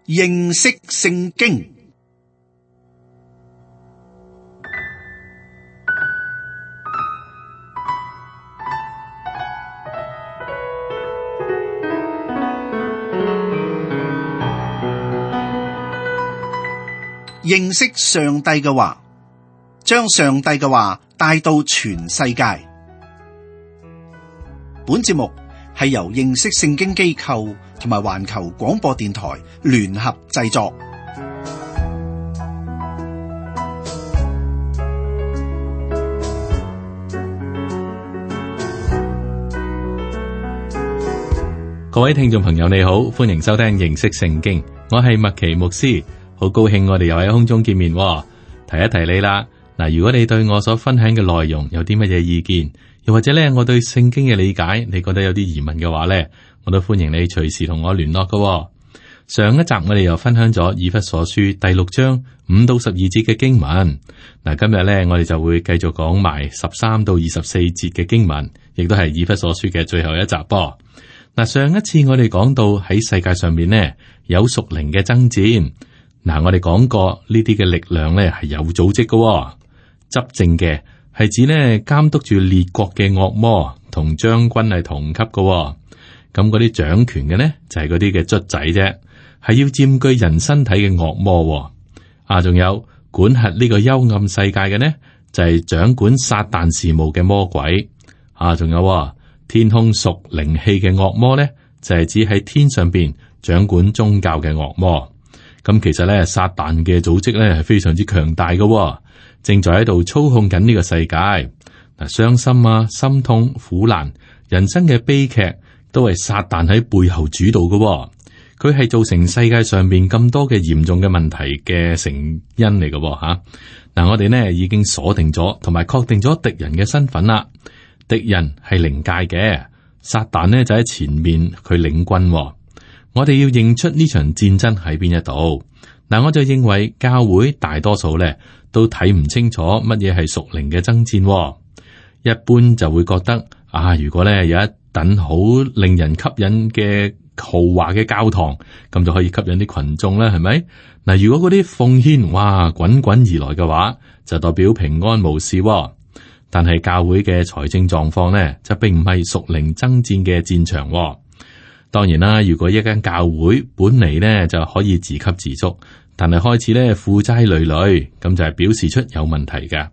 認識聖經。認識上帝嘅話，將上帝嘅話帶到全世界。本節目係由認識聖經機構同埋環球廣播電台聯合製作。各位聽眾朋友，你好，歡迎收聽認識聖經，我係麥奇牧師。好高興我哋又喺空中見面。提一提你啦，嗱，如果你對我所分享嘅內容有啲乜嘢意見，又或者咧我對聖經嘅理解，你覺得有啲疑問嘅話咧，我都歡迎你隨時同我聯絡㗎。上一集我哋又分享咗以弗所書第6章5到12節嘅經文，嗱，今日咧我哋就會繼續講埋13到24節嘅經文，亦都係以弗所書嘅最後一集噃。嗱，上一次我哋講到喺世界上面呢有屬靈嘅爭戰。嗱，我哋講過呢啲嘅力量咧係有組織嘅，執政嘅係指咧監督住列國嘅惡魔，同將軍係同級嘅。咁嗰啲掌權嘅呢就係嗰啲嘅卒仔啫，係要佔據人身體嘅惡魔。仲有管轄呢個幽暗世界嘅呢，就係掌管撒旦事務嘅魔鬼。仲有天空屬靈氣嘅惡魔呢，就係指喺天上邊掌管宗教嘅惡魔。咁其實咧，撒旦嘅組織咧係非常之強大嘅，正在喺度操控緊呢個世界。嗱，傷心啊、心痛、苦難、人生嘅悲劇，都係撒旦喺背後主導嘅。佢係造成世界上邊咁多嘅嚴重嘅問題嘅成因嚟嘅。吓，嗱，我哋呢已經鎖定咗同埋確定咗敵人嘅身份啦。敵人係靈界嘅，撒旦呢就喺前面佢領軍。我哋要認出呢場戰爭喺邊一度。嗱，我就認為教會大多數咧都睇唔清楚乜嘢係屬靈嘅爭戰。一般就會覺得如果咧有一等好令人吸引嘅豪華嘅教堂，咁就可以吸引啲群眾啦，係咪？嗱，如果嗰啲奉獻滾滾而來嘅話，就代表平安無事。但係教會嘅財政狀況咧，就並唔係屬靈爭戰嘅戰場。當然啦，如果一間教會本嚟呢就可以自給自足，但係開始咧負債累累，咁就係表示出有問題㗎。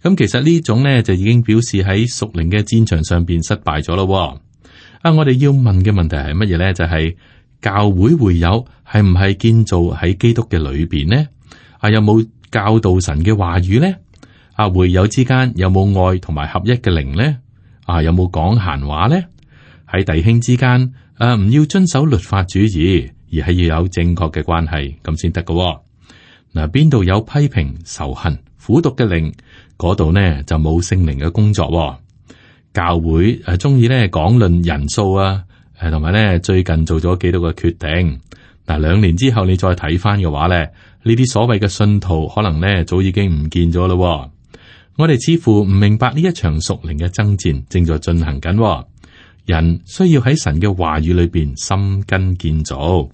咁其實呢種呢就已經表示喺屬靈嘅戰場上邊失敗咗咯。我哋要問嘅問題係乜嘢呢？就係教會會友係唔係建造喺基督嘅裏邊呢？有冇教導神嘅話語呢？會友之間有冇愛同埋合一嘅靈呢？有冇講閒話呢？喺弟兄之間唔要遵守律法主義，而係要有正確嘅關係，咁先得㗎。嗱，邊度有批評、仇恨、苦毒嘅靈，嗰度呢就冇聖靈嘅工作。教會中意咧講論人數同埋咧最近做咗幾多個決定。嗱，2年之後你再睇翻嘅話咧，呢啲所謂嘅信徒可能咧早已經唔見咗咯。我哋似乎唔明白呢一場屬靈嘅爭戰正在進行緊。人需要喺神嘅話語裏邊深根建造。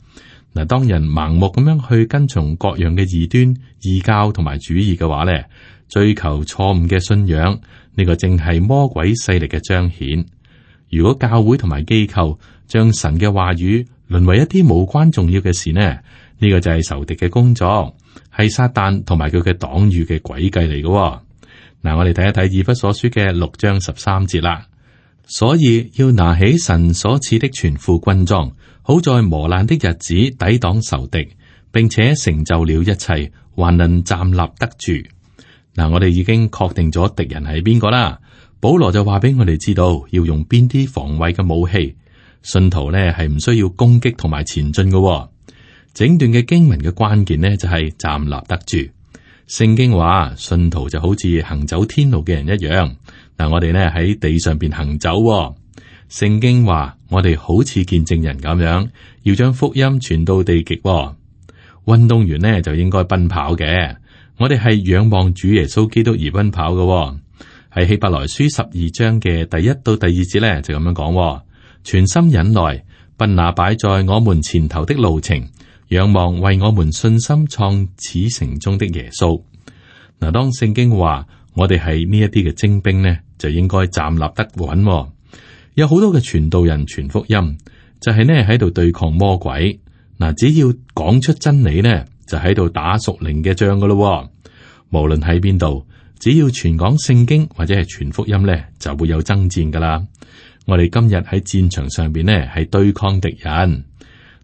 嗱，當人盲目咁樣去跟從各樣嘅異端、異教同埋主義嘅話咧，追求錯誤嘅信仰，呢個正係魔鬼勢力嘅彰顯。如果教會同埋機構將神嘅話語淪為一啲無關重要嘅事呢，呢個就係仇敵嘅工作，係撒旦同埋佢嘅黨羽嘅詭計嚟嘅。嗱，我哋睇一睇以弗所書嘅6章13節啦。所以要拿起神所賜的全副軍裝，好在磨難的日子抵擋仇敵，並且成就了一切，還能站立得住。嗱，我哋已經確定咗敵人係邊個啦。保羅就話俾我哋知道要用邊啲防衛嘅武器。信徒呢係唔需要攻擊同埋前進嘅。整段嘅經文嘅關鍵呢就係站立得住。聖經話信徒就好似行走天路嘅人一樣。嗱，我哋呢喺地上邊行走。聖經話我哋好似見證人咁樣，要將福音傳到地極。運動員呢就應該奔跑嘅。我哋係仰望主耶穌基督而奔跑嘅。喺希伯來書12章嘅第1到第2節呢，就咁樣講：全心忍耐，奔那擺在我們前頭的路程，仰望為我們信心創始成終的耶穌。嗱，當聖經話我哋係呢一啲嘅精兵呢，就應該站立得穩。有好多嘅傳道人傳福音，就係呢喺度對抗魔鬼。嗱，只要講出真理呢，就喺度打屬靈嘅仗噶咯。無論喺邊度，只要傳講聖經或者係傳福音呢，就會有爭戰噶啦。我哋今日喺戰場上邊呢，係對抗敵人。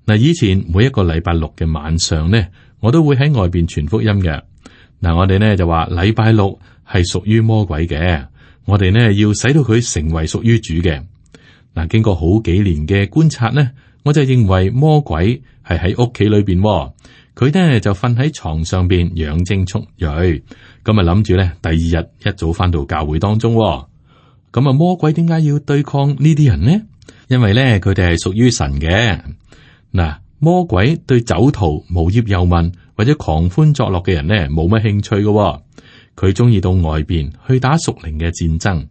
嗱，以前每一個禮拜六嘅晚上呢，我都會喺外邊傳福音嘅。嗱，我哋呢就話禮拜六係屬於魔鬼嘅，我哋呢要使到佢成為屬於主嘅。嗱，經過好幾年嘅觀察呢，我就認為魔鬼係喺屋企裏邊，佢呢就瞓喺床上邊養精蓄銳，咁啊諗住呢第二日一早翻到教會當中。咁啊，魔鬼點解要對抗呢啲人呢？因為呢佢哋係屬於神嘅。嗱，魔鬼對酒徒、無業遊民或者狂歡作樂嘅人呢冇乜興趣嘅，佢中意到外邊去打屬靈嘅戰爭。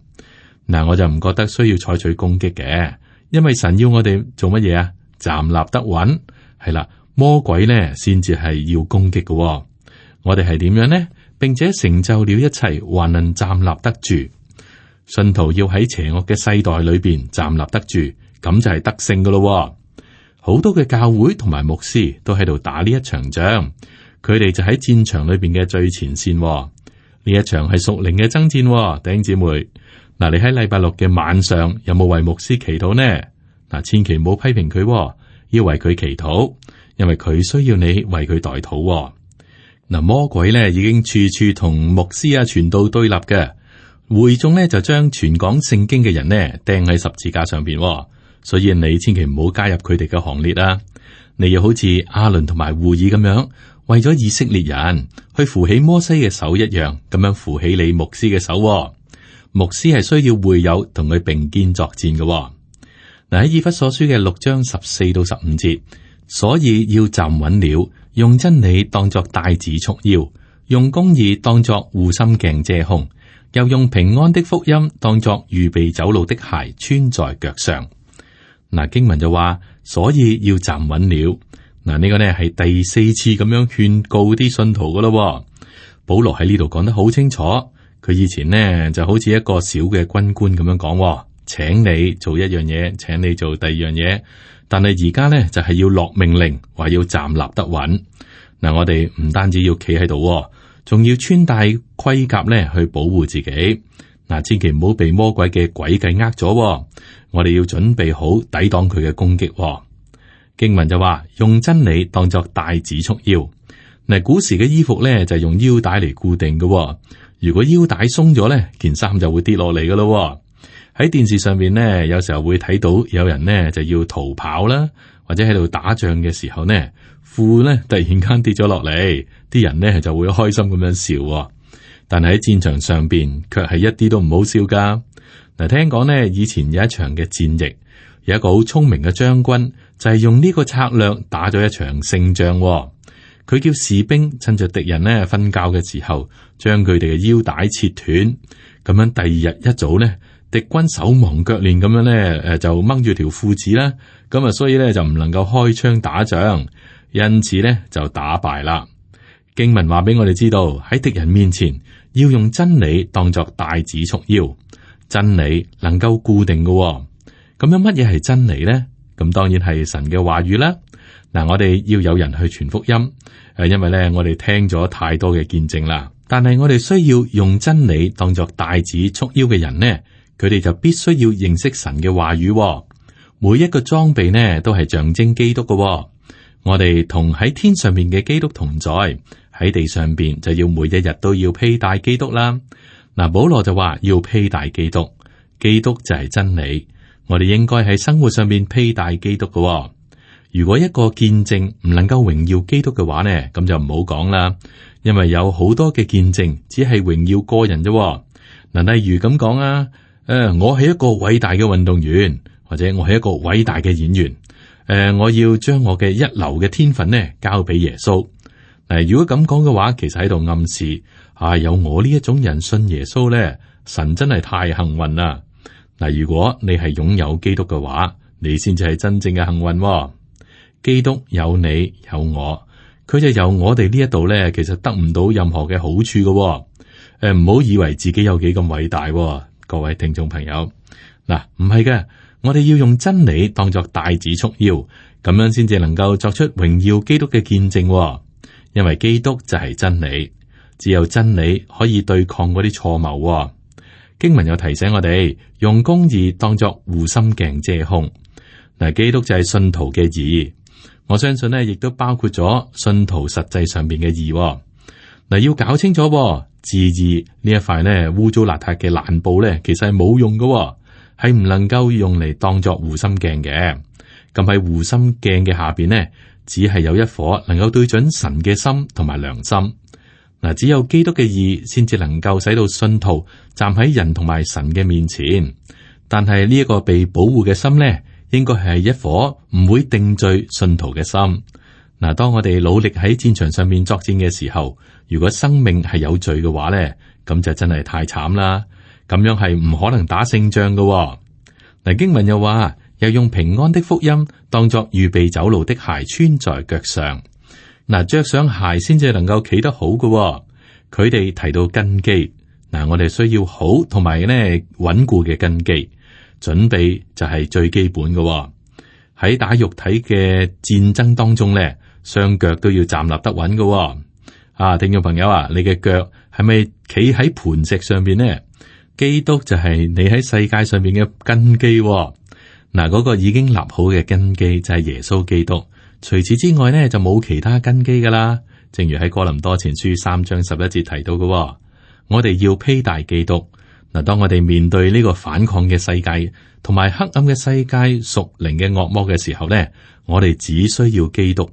嗱，我就唔覺得需要採取攻擊嘅，因為神要我哋做乜嘢啊？站立得穩，係啦。魔鬼呢先至係要攻擊嘅。我哋係點樣呢？並且成就了一切，還能站立得住。信徒要喺邪惡嘅世代裏邊站立得住，咁就係得勝噶咯。好多嘅教會同埋牧師都喺度打呢一場仗，佢哋就喺戰場裏邊嘅最前線。呢一場係屬靈嘅爭戰，弟兄姊妹。嗱，你喺禮拜六嘅晚上有冇為牧師祈禱呢？嗱，千祈唔好批評佢，要為佢祈禱，因為佢需要你為佢代禱。嗱，魔鬼咧已經處處同牧師啊傳道對立嘅，會眾咧就將傳講聖經嘅人呢釘喺十字架上邊，所以你千祈唔好加入佢哋嘅行列啊！你要好似亞倫同埋戶珥咁樣，為咗以色列人去扶起摩西嘅手一樣，咁樣扶起你牧師嘅手。牧師係需要會友同佢並肩作戰嘅。嗱，喺以弗所書嘅6章14到15節，所以要站穩了，用真理當作帶子束腰，用公義當作護心鏡遮胸，又用平安的福音當作預備走路的鞋穿在腳上。嗱，經文就話，所以要站穩了。嗱，呢個呢係第4次咁樣勸告啲信徒噶咯。保羅喺呢度講得好清楚。佢以前呢就好似一個小嘅軍官咁樣講，請你做一樣嘢，請你做第二樣嘢。但係而家呢就係要落命令，話要站立得穩。嗱，我哋唔單止要企喺度，仲要穿戴盔甲呢去保護自己。嗱，千祈唔好被魔鬼嘅詭計呃咗。我哋要準備好抵擋佢嘅攻擊。經文就話用真理當作帶子束腰。嗱，古時嘅衣服呢就係用腰帶嚟固定嘅。如果腰帶鬆咗呢，件衫就會跌落嚟噶咯。喺電視上面呢，有時候會睇到有人呢就要逃跑啦，或者喺度打仗嘅時候呢，褲呢突然間跌咗落嚟，啲人呢就會開心咁樣笑。但係喺戰場上邊，卻係一啲都唔好笑噶。嗱，聽講呢，以前有一場嘅戰役，有一個好聰明嘅將軍，就係用呢個策略打咗一場勝仗。佢叫士兵趁着敵人呢瞓覺嘅時候，將佢哋嘅腰帶切斷，咁樣第二日一早呢，敵軍手忙腳亂咁樣呢，就掹住條褲子啦，咁啊，所以呢，就唔能夠開槍打仗，因此呢，就打敗啦。經文話俾我哋知道，喺敵人面前要用真理當作帶子束腰，真理能夠固定嘅。咁樣乜嘢係真理呢？咁當然係神嘅話語啦。嗱，我哋要有人去傳福音，因為咧我哋聽咗太多嘅見證啦。但係我哋需要用真理當作帶子束腰嘅人呢，佢哋就必須要認識神嘅話語。每一個裝備呢都係象徵基督嘅。我哋同喺天上面嘅基督同在，喺地上邊就要每一日都要披戴基督啦。嗱，保羅就話要披戴基督，基督就係真理。我哋應該喺生活上面披戴基督嘅。如果一個見證唔能夠榮耀基督嘅話呢，咁就唔好講啦。因為有好多嘅見證只係榮耀個人啫。嗱，例如咁講啊，我係一個偉大嘅運動員，或者我係一個偉大嘅演員。我要將我嘅一流嘅天分呢交俾耶穌。如果咁講嘅話，其實喺度暗示有我呢一種人信耶穌呢，神真係太幸運啦。嗱，如果你係擁有基督嘅話，你先至係真正嘅幸運。基督有你有我，佢就由我哋呢一度咧，其實得唔到任何嘅好處嘅。唔好以為自己有幾咁偉大，各位聽眾朋友。嗱，唔係嘅，我哋要用真理當作帶子束腰，咁樣先至能夠作出榮耀基督嘅見證。因為基督就係真理，只有真理可以對抗嗰啲錯謬。經文又提醒我哋用公義當作護心鏡遮胸。嗱，基督就係信徒嘅義，我相信呢亦都包括咗信徒實際上邊嘅義。嗱，要搞清楚自義呢一塊呢污糟邋遢嘅爛布呢，其實係冇用嘅，係唔能夠用嚟當作護心鏡嘅。咁喺護心鏡嘅下邊呢，只係有一顆能夠對準神嘅心同埋良心。嗱，只有基督嘅義先至能夠使到信徒站喺人同埋神嘅面前。但係呢一個被保護嘅心呢，應該係一顆唔會定罪信徒嘅心。嗱，當我哋努力喺戰場上面作戰嘅時候，如果生命係有罪嘅話咧，咁就真係太慘啦。咁樣係唔可能打勝仗嘅。嗱，經文又話，又用平安的福音當作預備走路的鞋穿在腳上。嗱，着上鞋先至能夠企得好嘅。佢哋提到根基，嗱，我哋需要好同埋咧穩固嘅根基，準備就係最基本嘅。喺打肉體嘅戰爭當中咧，雙腳都要站立得穩嘅。聽眾朋友啊，你嘅腳係咪企喺磐石上邊呢？基督就係你喺世界上邊嘅根基。嗱，嗰個已經立好嘅根基就係耶穌基督。除此之外呢，就冇其他根基噶啦。正如喺哥林多前書3章11節提到嘅，我哋要披戴基督。嗱，當我哋面對呢個反抗嘅世界同埋黑暗嘅世界屬靈嘅惡魔嘅時候呢，我哋只需要基督。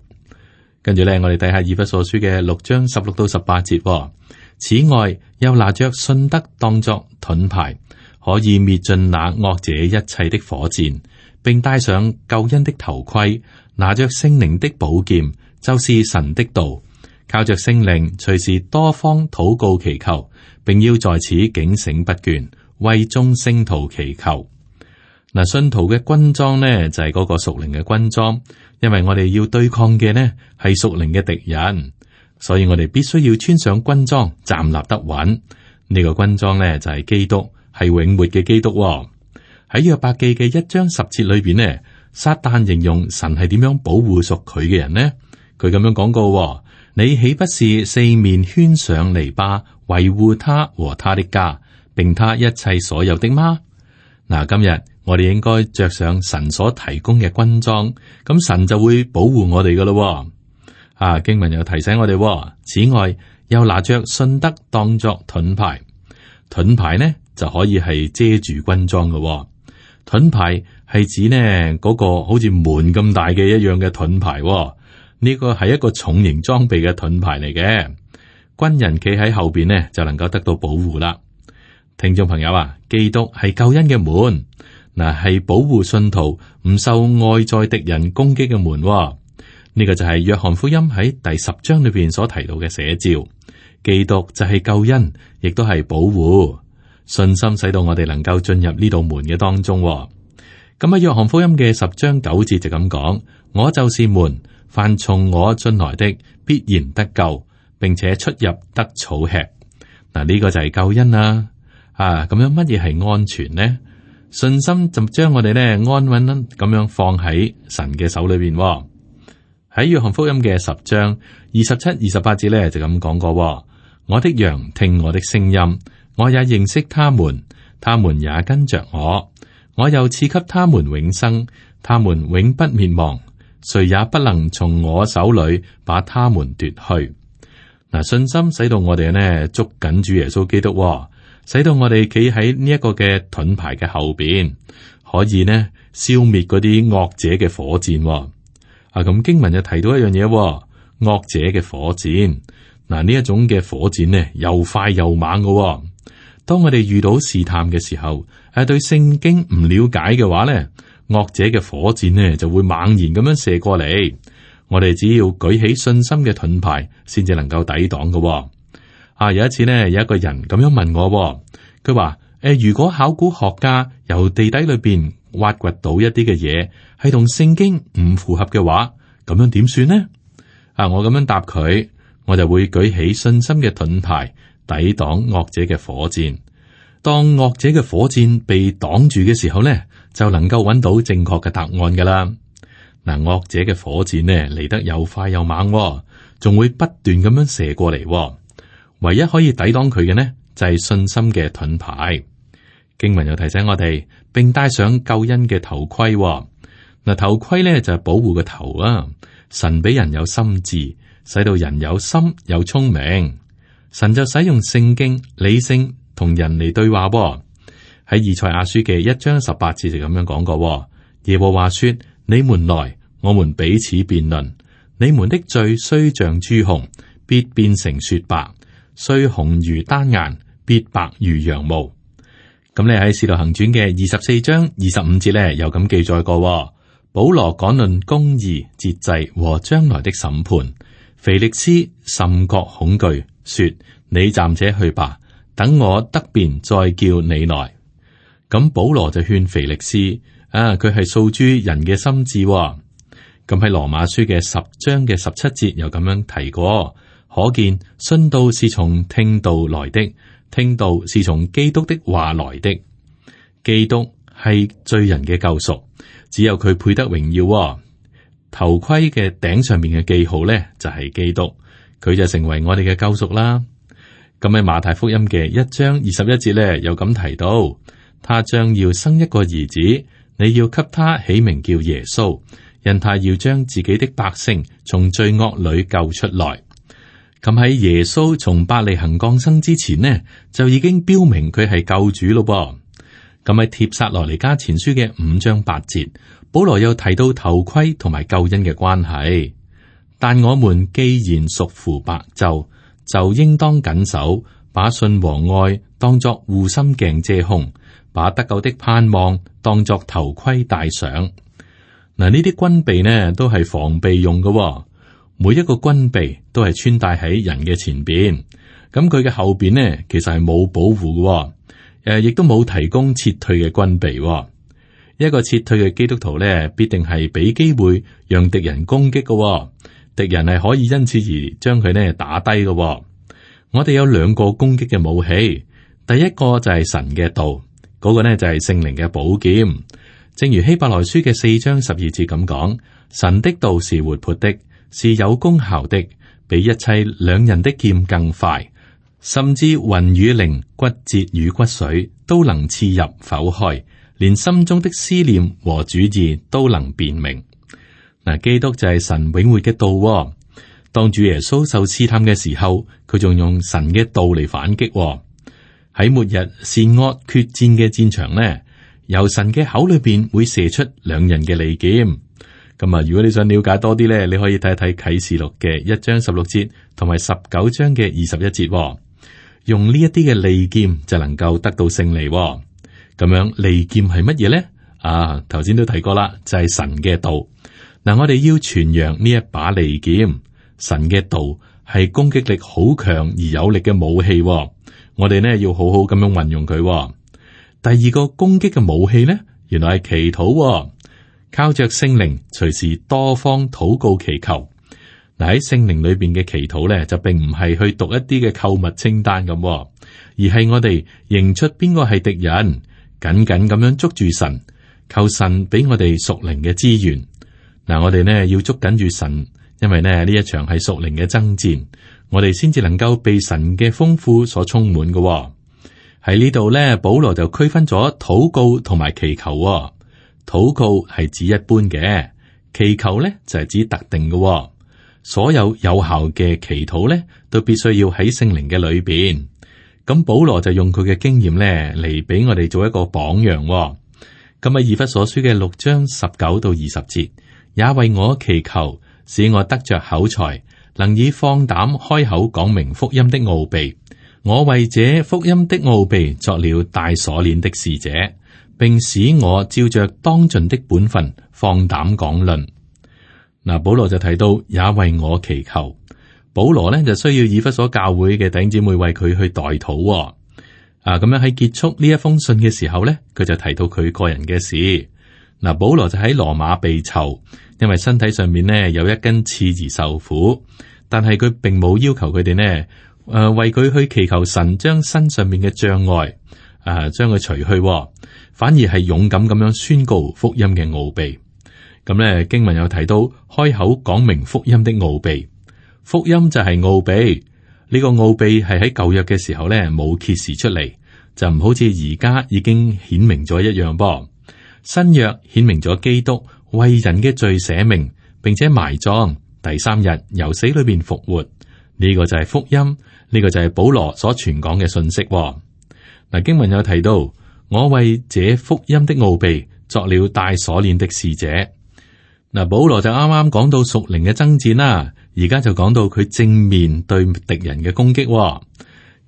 跟住咧，我哋睇下以弗所書嘅6章16到18節。此外，又拿着信德當作盾牌，可以滅盡那惡者一切的火箭，並戴上救恩的頭盔，拿着聖靈的寶劍，就是神的道，靠着聖靈隨時多方禱告祈求，並要在此警醒不倦，為眾聖徒祈求。嗱，信徒嘅軍裝呢，就係嗰個屬靈嘅軍裝，因為我哋要對抗嘅呢係屬靈嘅敵人，所以我哋必須要穿上軍裝，站立得穩。呢個軍裝呢，就係基督，係永活嘅基督。喺約伯記嘅1章10節裏邊呢，撒旦形容神係點樣保護屬佢嘅人呢？佢咁樣講過：你豈不是四面圈上籬笆，維護他和他的家，並他一切所有的嗎？嗱，今日我哋應該着上神所提供嘅軍裝，咁神就會保護我哋噶咯。經文又提醒我哋，此外又拿着信德當作盾牌，盾牌呢就可以係遮住軍裝嘅。盾牌係指呢嗰個好似門咁大嘅一樣嘅盾牌，呢個係一個重型裝備嘅盾牌嚟嘅。軍人企喺後邊呢就能夠得到保護啦。聽眾朋友啊，基督係救恩嘅門，嗱，係保護信徒唔受外在敵人攻擊嘅門。呢個就係約翰福音喺第10章裏邊所提到嘅寫照。基督就係救恩，亦都係保護。信心使到我哋能夠進入呢道門嘅當中。咁喺約翰福音嘅10章9節就咁講：我就是門，凡從我進來的必然得救，並且出入得草吃。嗱，呢個就係救恩啦。咁樣乜嘢係安全呢？信心就將我哋咧安穩咁樣放喺神嘅手裏邊。喺約翰福音嘅10章27、28節咧就咁講過：我的羊聽我的聲音，我也認識他們，他們也跟着我，我又賜給他們永生，他們永不滅亡，誰也不能從我手裏把他們奪去。嗱，信心使到我哋呢捉緊主耶穌基督，使到我哋企喺呢一個嘅盾牌嘅後邊，可以呢消滅嗰啲惡者嘅火箭。咁經文就提到一樣嘢，惡者嘅火箭。嗱，呢一種嘅火箭呢，又快又猛嘅。當我哋遇到試探嘅時候，對聖經唔了解嘅話呢，惡者嘅火箭呢就會猛然咁樣射過嚟。我哋只要舉起信心嘅盾牌，先至能夠抵擋嘅。有一次呢，有一個人咁樣問我，佢話：如果考古學家由地底裏邊挖掘到一啲嘅嘢，係同聖經唔符合嘅話，咁樣點算呢？我咁樣答佢，我就會舉起信心嘅盾牌，抵擋惡者嘅火箭。當惡者嘅火箭被擋住嘅時候呢，就能夠揾到正確嘅答案噶啦。嗱，惡者嘅火箭呢嚟得又快又猛，仲會不斷咁樣射過嚟。唯一可以抵擋佢嘅呢，就係信心嘅盾牌。經文又提醒我哋，並戴上救恩嘅頭盔。嗱，頭盔呢就係保護個頭啊。神俾人有心智，使到人有心有聰明。神就使用聖經理性同人嚟對話。喺以賽亞書嘅1章18節就咁樣講過。耶和華說：你們來，我們彼此辯論。你們的罪雖像朱紅，必變成雪白；雖紅如丹顏，必白如羊毛。咁你喺《使徒行傳》嘅24章25節咧，有咁記載過。保羅講論公義、節制和將來的審判。腓力斯甚覺恐懼，說：你暫且去吧，等我得便再叫你來。咁保羅就勸腓力斯，佢係訴諸人嘅心智。咁喺羅馬書嘅10章嘅17節又咁樣提過，可見信道是從聽道來的，聽道是從基督的話來的。基督係罪人嘅救贖，只有佢配得榮耀。頭盔嘅頂上面嘅記號咧，就係基督，佢就成為我哋嘅救贖啦。咁喺馬太福音嘅1章21節咧，又咁提到，他將要生一個兒子，你要給他起名叫耶穌，因他要將自己的百姓從罪惡裏救出來。咁喺耶穌從伯利恆降生之前呢，就已經標明佢係救主咯噃。咁喺帖撒羅尼迦前書嘅5章8節，保羅又提到頭盔同埋救恩嘅關係。但我們既然屬乎白晝，就應當謹守，把信和愛當作護心鏡遮胸，把得救的盼望當作頭盔戴上。嗱，呢啲軍備呢都係防備用嘅，每一個軍備都係穿戴喺人嘅前邊，咁佢嘅後邊呢其實係冇保護嘅，亦都冇提供撤退嘅軍備。一個撤退嘅基督徒呢，必定係俾機會讓敵人攻擊嘅，敵人係可以因此而將佢呢打低嘅。我哋有2個攻擊嘅武器，第一個就係神嘅道，嗰個呢就係聖靈嘅寶劍。正如希伯來書嘅4章12節咁講，神的道是活潑的，是有功效的，比一切兩刃的劍更快，甚至魂與靈、骨節與骨髓都能刺入剖開，連心中的思念和主意都能辨明。嗱，基督就係神永活嘅道。當主耶穌受試探嘅時候，佢仲用神嘅道嚟反擊。喺末日善惡決戰嘅戰場呢，由神嘅口裏邊會射出兩刃嘅利劍。咁如果你想了解多啲咧，你可以睇睇啟示錄嘅1章16節同埋19章嘅21節。用呢一啲嘅利劍就能夠得到勝利。咁樣利劍係乜嘢咧？頭先都提過啦，就係神嘅道。嗱，我哋要傳揚呢一把利劍。神嘅道係攻擊力好強而有力嘅武器。我哋呢要好好咁樣運用佢。第二個攻擊嘅武器呢，原來係祈禱。靠着聖靈，隨時多方禱告祈求。嗱，喺聖靈裏邊嘅祈禱咧，就並唔係去讀一啲嘅購物清單咁，而係我哋認出邊個係敵人，緊緊咁樣捉住神，求神俾我哋屬靈嘅資源。嗱，我哋呢要捉緊住神，因為呢一場係屬靈嘅爭戰，我哋先至能夠被神嘅豐富所充滿嘅。喺呢度咧，保羅就區分咗禱告同埋祈求。禱告係指一般嘅，祈求咧就係指特定嘅。所有有效嘅祈禱咧，都必須要喺聖靈嘅裏邊。咁保羅就用佢嘅經驗咧嚟俾我哋做一個榜樣。咁喺以弗所書嘅6章19到20節，也為我祈求，使我得着口才，能以放膽開口講明福音的奧秘。我為這福音的奧秘作了帶鎖鏈的使者，並使我照着當盡的本分放膽講論。嗱，保羅就提到也為我祈求。保羅呢就需要以弗所教會嘅弟兄姊妹為佢去代禱。咁樣喺結束呢一封信嘅時候呢，佢就提到佢個人嘅事。嗱，保羅就喺羅馬被囚，因為身體上面呢有一根刺而受苦，但係佢並冇要求佢哋呢，為佢去祈求神將身上面嘅障礙將佢除去，反而係勇敢咁樣宣告福音嘅奧秘。咁呢經文有提到開口講明福音的奧秘，福音就係奧秘。呢個奧秘係喺舊約嘅時候呢冇揭示出嚟，就唔好似而家已經顯明咗一樣噃。新約顯明咗基督為人嘅罪捨命，並且埋葬，第3日由死裏邊復活。呢個就係福音，呢個就係保羅所傳講嘅信息。嗱，經文有提到，我為這福音的奧秘作了帶鎖鏈的使者。嗱，保羅就啱啱講到屬靈嘅爭戰啦，而家就講到佢正面對敵人嘅攻擊。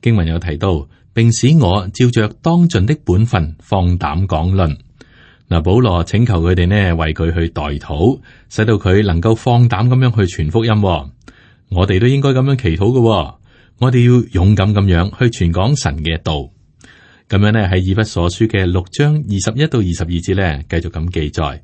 經文有提到，並使我照着當盡的本分放膽講論。嗱，保羅請求佢哋呢為佢去代禱，使到佢能夠放膽咁樣去傳福音。我哋都應該咁樣祈禱嘅。我哋要勇敢咁樣去傳講神嘅道。咁樣呢喺以弗所書嘅6章21到22節呢，繼續咁記載。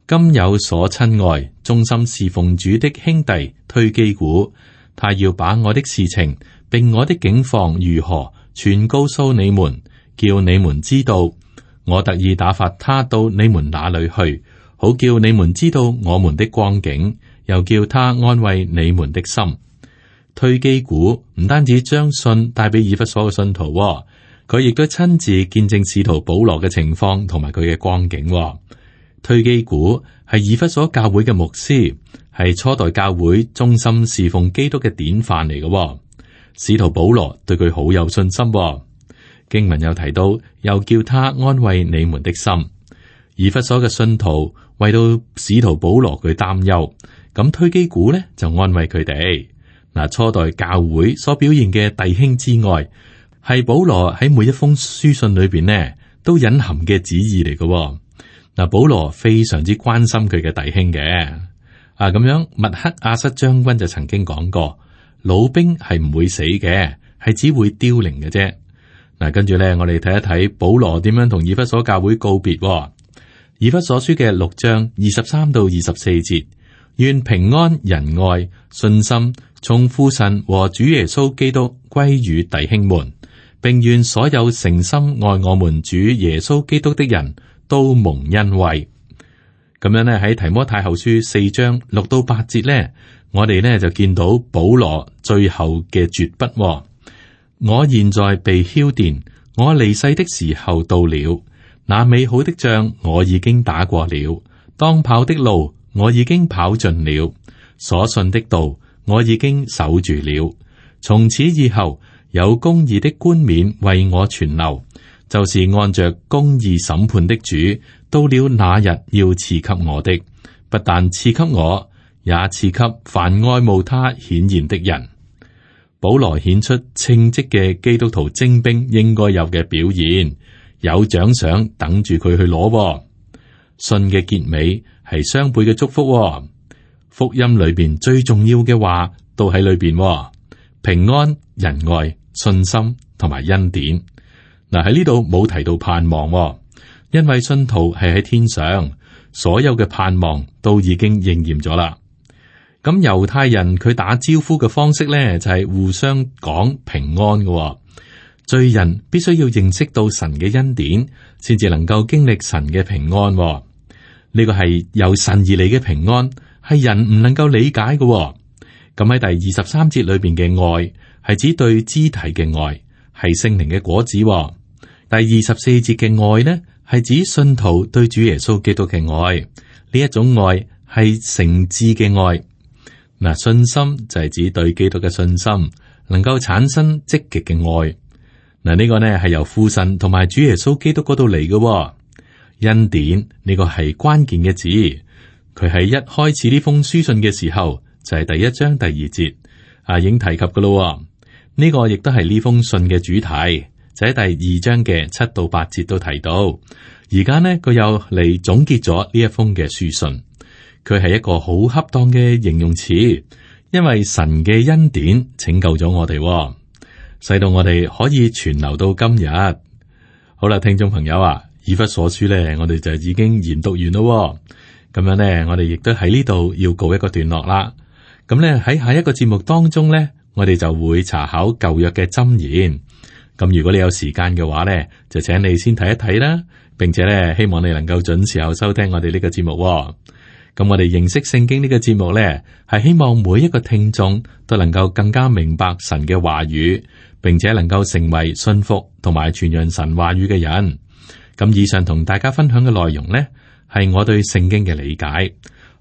今有所親愛、忠心侍奉主的兄弟推基古，他要把我的事情並我的境況如何全告訴你們，叫你們知道。我特意打發他到你們那裏去，好叫你們知道我們的光景，又叫他安慰你們的心。推基古唔單止將信帶俾以弗所嘅信徒，佢亦都親自見證使徒保羅嘅情況同埋佢嘅光景。推基古係以弗所教會嘅牧師，係初代教會忠心侍奉基督嘅典範嚟嘅。使徒保羅對佢好有信心。經文有提到，又叫他安慰你們的心。以弗所嘅信徒為到使徒保羅佢擔憂，咁推基古呢就安慰佢哋。嗱，初代教會所表現嘅弟兄之愛，係保羅喺每一封書信裏邊呢都隱含嘅旨意嚟嘅。嗱，保羅非常之關心佢嘅弟兄嘅。咁樣，麥克阿瑟將軍就曾經講過，老兵係唔會死嘅，係只會凋零嘅啫。嗱，跟住咧，我哋睇一睇保羅點樣同以弗所教會告別。以弗所書嘅6章23到24節，願平安、仁愛、信心從父神和主耶穌基督歸於弟兄們，並願所有誠心愛我們主耶穌基督的人都蒙恩惠。咁樣呢，喺提摩太後書4章6到8節呢，我哋呢就見到保羅最後嘅絕筆。我現在被澆奠，我離世的時候到了。那美好的仗我已經打過了，當跑的路我已經跑盡了，所信的道我已經守住了。從此以後，有公義的冠冕為我存留，就是按着公義審判的主，到了那日要賜給我的，不但賜給我，也賜給凡愛慕他顯現的人。保羅顯出稱職嘅基督徒精兵應該有嘅表現，有獎賞等住佢去攞。信嘅結尾係雙倍嘅祝福。福音裏邊最重要嘅話都喺裏邊，平安、仁愛、信心同埋恩典。嗱，喺呢度冇提到盼望，因為信徒係喺天上，所有嘅盼望都已經應驗咗啦。咁猶太人佢打招呼嘅方式咧，就係互相講平安嘅。罪人必須要認識到神嘅恩典，先至能夠經歷神嘅平安。呢個係由神而嚟嘅平安，係人唔能夠理解嘅。咁喺第23節裏邊嘅愛，係指對肢體嘅愛，係聖靈嘅果子。第24節嘅愛呢，係指信徒對主耶穌基督嘅愛。呢一種愛係誠摯嘅愛。嗱，信心就係指對基督嘅信心，能夠產生積極嘅愛。嗱，呢個呢係由父神同埋主耶穌基督嗰度嚟嘅。恩典呢個係關鍵嘅字，佢喺一開始呢封書信嘅時候就係第1章第2節已經提及噶咯。呢個亦都係呢封信嘅主題，就喺第2章嘅7到8節都提到。而家呢，佢又嚟總結咗呢一封嘅書信。佢係一個好恰當嘅形容詞，因為神嘅恩典拯救咗我哋，使到我哋可以存留到今日。好啦，聽眾朋友啊，以弗所書咧，我哋就已經研讀完咯。咁樣咧，我哋亦都喺呢度要告一個段落啦。咁咧喺下一個節目當中咧，我哋就會查考舊約嘅箴言。咁如果你有時間嘅話咧，就請你先睇一睇啦，並且咧希望你能夠準時候收聽我哋呢個節目。咁我哋認識聖經呢個節目咧，係希望每一個聽眾都能夠更加明白神嘅話語，並且能夠成為信服同埋傳揚神話語嘅人。咁以上同大家分享嘅內容呢，係我對聖經嘅理解。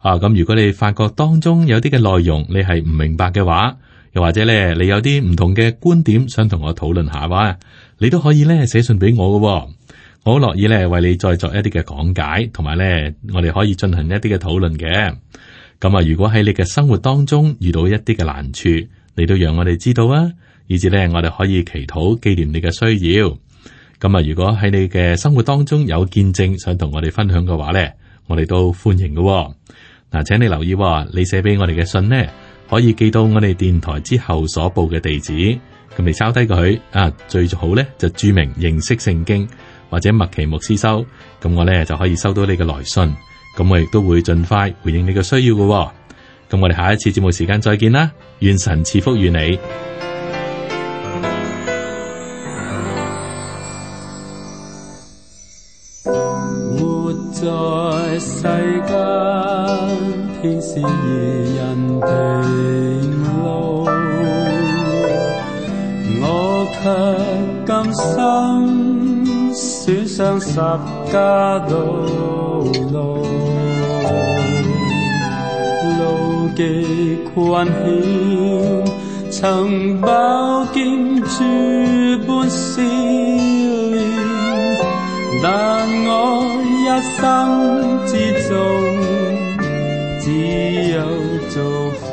咁如果你發覺當中有啲嘅內容你係唔明白嘅話，又或者咧你有啲唔同嘅觀點想同我討論下話，你都可以咧寫信俾我嘅。我好樂意咧為你再作一啲嘅講解，同埋咧我哋可以進行一啲嘅討論嘅。咁啊，如果喺你嘅生活當中遇到一啲嘅難處，你都讓我哋知道啊，以至咧我哋可以祈禱紀念你嘅需要。咁啊，如果喺你嘅生活當中有見證想同我哋分享嘅話咧，我哋都歡迎嘅。嗱，請你留意，你寫俾我哋嘅信呢，可以寄到我哋電台之後所報嘅地址。咁你抄低佢啊，最好咧就注明認識聖經或者麥奇牧師收，咁我咧就可以收到你嘅來信。咁我亦都會盡快回應你嘅需要嘅。咁我哋下一次節目時間再見啦，願神賜福與你。活在世間，天使異人平路，我卻甘心選上十架道路，路極困險，曾飽經諸般試煉，但我一生之中只有祝福。